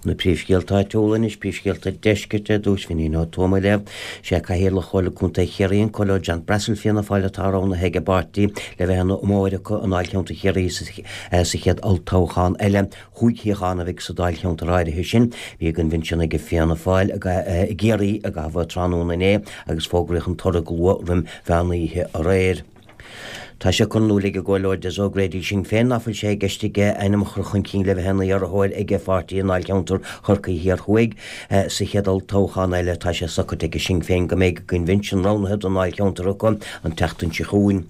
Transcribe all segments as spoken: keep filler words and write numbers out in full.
Na príomhscéalta áitiúla anois, príomhscéalta deiscirt ar dtús, Finín Ó Tuama á léamh. Sé Cathaoirleach Chomhairle Contae Chiarraí, an Comhairleoir John Brassil Fianna Fáil atá roghnaithe ag an bpáirtí le bheith ina iomaitheoir acu i ndáilcheantar Chiarraí sa chéad olltoghchán eile. Chúig shuíochán a bheidh sa dáilcheantar áirithe sin. Bhí a gcoinbhinsean ag Fianna Fáil i gCiarraí i gcaitheamh an tráthnóna inné agus fógraíodh an toradh go luath roim mheán oíche aréir. Tá sé curtha in iúl ag an gComhairleoir Des O'Grady Sinn Féin ná fuil sé i gceist aige a ainm a chur chun cinn le bheith ina iarrthóir ag a pháirtí i ndáilcheantar Chorcaí Thiar Thuaidh sa chéad olltoghchán eile. Tá sé socraithe ag Sinn Féin go mbeidh a gcoinbhinsean roghnaithe don ndáilcheantar acu an tseachtain seo chugainn.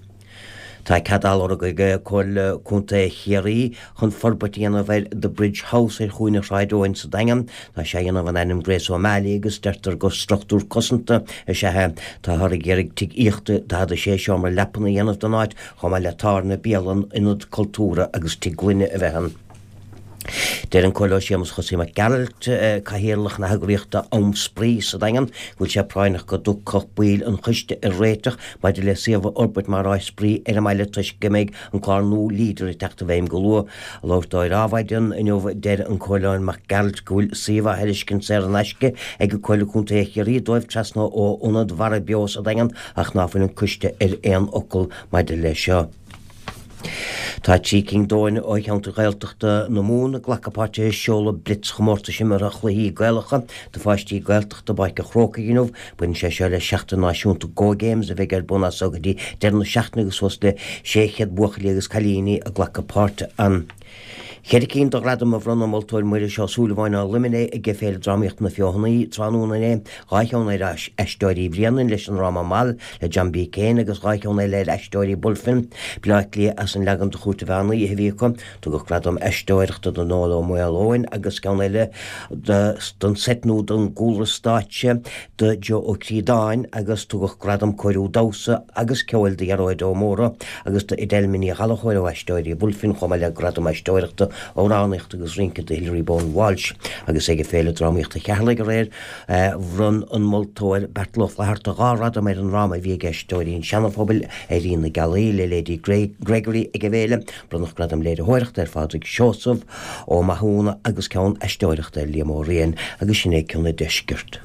Tá cead á lorg ag Comhairle Contae Chiarraí chun forbairt a dhéanamh ar The Bridge House ar chúinne Shráid Eoin sa Daingean. Tá sé á dhéanamh in ainm Grace O'Malley agus deirtear gur struchtúr cosanta is ea é. Táthar ag iarraidh tigh aíochta daichead a sé seomra leapan a dhéanamh den áit, chomh maith le tábhairne, bialann, ionad cultúrtha agus tigh gloine a bheith ann. Deir an Comhairleoir Séamus Chosaí Mac Gearailt, Cathaoirleach na heagraíochta Am Spraoi sa Daingean, go bhfuil sé práinneach go dtiocfadh baill an choiste ar réiteach maidir le suíomh a fhorbairt mar áis spraoi ar an mbaile toisc go mbeidh an clár nua Leader ag teacht i bhfeidhm go luath. Ag labhairt dó ar Adhmhaidin inniu deir an Comhairleoir Mac Gearailt go bhfuil suíomh á thairiscint saor in aisce ag Comhairle Contae Chiarraí dóibh trasna ó Ionad Mhara Beo sa Daingean ach ná fuil an coiste ar aon fhocal maidir leis seo. Tá trí cinn d'fhoirne ó cheantar Ghaeltachta na Mumhan ag glacadh páirte i seoladh Blitz-chomórtais imeartha chluichí Gaelacha do pháistí Gaeltachta i bPáirc an Chrócaigh inniu. Baineann sé seo le Seachtain Náisiúnta Go Games a bheidh ar bun as seo go dtí deireadh na seachtaine agus suas le sé chéad buachaillí agus cailíní ag glacadh páirte ann. Ceithre cinn de ghradaim a bhronn an moltóir Muiris Ó Súilleabháin ó Luimnigh ag Féile Drámaíochta na Feothanaí tráthnóna inné, dhá cheann ar Aisteoirí Bhréanainn leis an ndráma Mal le John B. Keane agus dhá cheann eile ar Aisteoirí Bulfin, Baile Átha Cliath as an leagan de Chúirt an Mheán Oíche a bhí acu. Tugadh gradam aisteoireachta do Noel Ó Maoileoin agus ceann eile don seit nó don gcúlra stáitse do Joe Ó Críodáin agus tugadh gradam cóiriú damhsa agus ceoil do Ghearóid Ó Mórdha agus do Edelma Ní Ghallchóir ó Aisteoirí Bulfin chomh maith le gradam aisteoireachta amhránaíochta agus rince do Hilary Bowen Walsh agus ag Féile Drámaíochta Cheatharlaigh aréir bhronn an moltóir Beartla Ó Flatharta dhá ghradam ar an ndráma a bhí ag Aisteoirí an Seana-Phobail Éirí na Gealaí le Lady Gregory ag an bhféile. Bronnadh gradam léiritheoireachta ar Phádraig Seosamh Ó Mathúna agus ceann aisteoireachta ar Liam Ó Riain agus sin é cionn an deiscirt.